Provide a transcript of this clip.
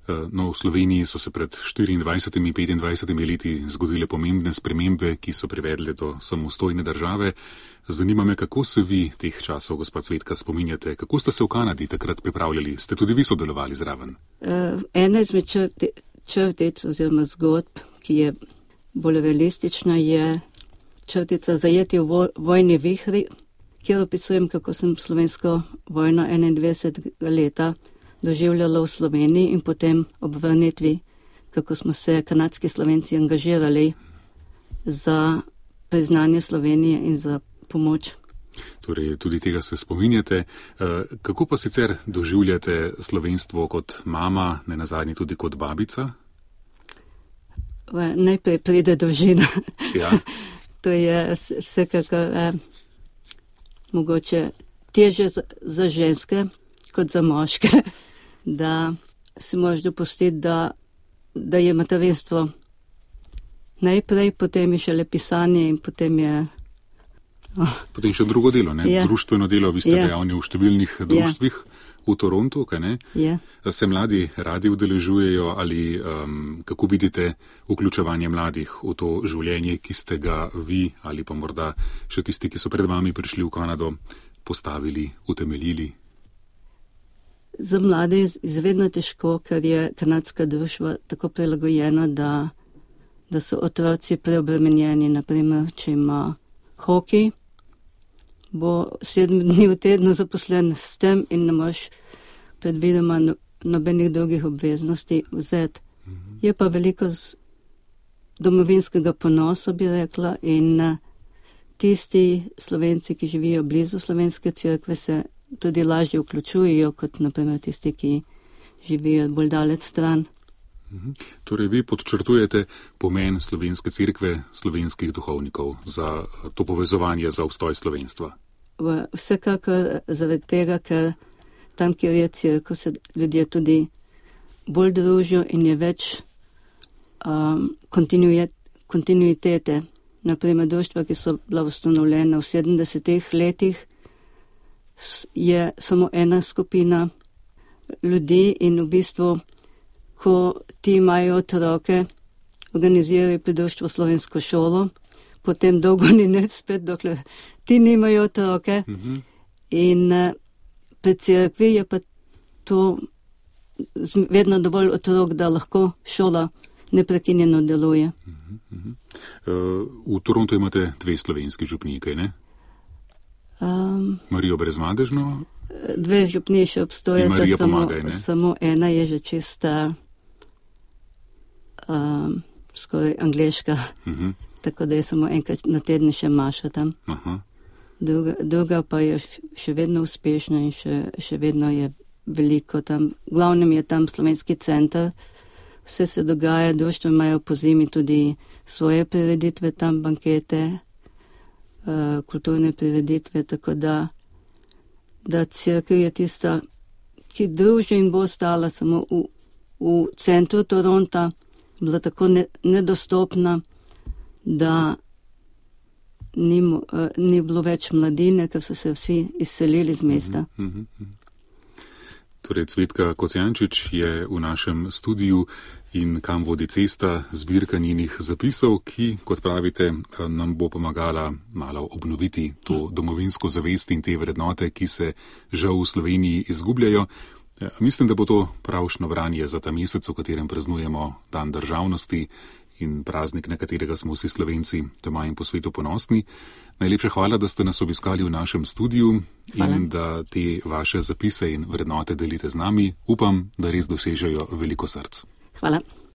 No, v Sloveniji so se pred 24-25 leti zgodile pomembne spremembe, ki so privedle do samostojne države. Zanima me, kako se vi teh časov, gospod Cvetka, spominjate? Kako ste se v Kanadi takrat pripravljali? Ste tudi vi sodelovali zraven? Ena izmed črtic oziroma zgodb, ki je bolj realistična, je črtica Zajeti v vojni vihri, kjer opisujem, kako sem slovensko vojno 21 leta doživljala v Sloveniji in potem ob vrnitvi, kako smo se kanadski Slovenci angažirali za priznanje Slovenije in za pomoč. Torej, tudi tega se spominjate. Kako pa sicer doživljate slovenstvo kot mama, ne nazadnje tudi kot babica? Najprej pride družina. Ja. To je vsekakor mogoče težje za ženske kot za moške, da si moraš dopustiti, da je materinstvo najprej, potem je šele pisanje in potem je... Potem še drugo delo, ne? Ja. Društveno delo, vi ste dejavni v številnih društvih v Torontu, kaj ne? Ja. Se mladi radi udeležujejo ali kako vidite vključevanje mladih v to življenje, ki ste ga vi ali pa morda še tisti, ki so pred vami prišli v Kanado, postavili, utemeljili? Za mlade je izvedno težko, ker je kanadska družba tako prilagojena, da so otroci preobremenjeni. Naprimer, če ima hokej, bo 7 dni v tednu zaposlen s tem in ne moš predvidoma nobenih drugih obveznosti vzeti. Je pa veliko domovinskega ponosa, bi rekla, in tisti Slovenci, ki živijo blizu slovenske cerkve, se tudi lažje vključujejo, kot naprimer tisti, ki živijo bolj daleč stran. Torej, vi podčrtujete pomen slovenske cerkve, slovenskih duhovnikov za to povezovanje, za obstoj slovenstva? Vsekakor zaradi tega, ker tam, kjer je cerkev, se ljudje tudi bolj družijo in je več kontinuitete. Naprimer, društva, ki so bila ustanovljena v 70-ih letih, je samo ena skupina ljudi in v bistvu, ko ti imajo otroke, organizirajo pri društvu slovensko šolo, potem dolgo ni nič spet, dokler ti nimajo otroke. In pri cerkvi je pa to vedno dovolj otrok, da lahko šola neprekinjeno deluje. V Torontu imate 2 slovenski župniji, kaj ne? Marijo Brezmadežno? 2 župniji še obstojata, samo ena je že čista skoraj angleška, tako da je samo enkrat na teden še Maša tam. Druga pa je še vedno uspešna in še vedno je veliko tam. Glavnem je tam slovenski center, vse se dogaja, društva imajo po zimi tudi svoje prireditve tam, bankete, kulturne prireditve, tako da cerkev je tista, ki druži in bo ostala samo v centru Toronta, bila tako nedostopna, da ni bilo več mladine, ker so se vsi izselili z mesta. Torej, Cvetka Kocijančič je v našem studiu in Kam vodi cesta, zbirka njenih zapisov, ki, kot pravite, nam bo pomagala malo obnoviti to domovinsko zavest in te vrednote, ki se žal v Sloveniji izgubljajo. Mislim, da bo to pravšno branje za ta mesec, v katerem praznujemo Dan državnosti in praznik, na katerega smo vsi Slovenci doma in po svetu ponosni. Najlepša hvala, da ste nas obiskali v našem studiu in da te vaše zapise in vrednote delite z nami. Upam, da res dosežejo veliko src. Hvala.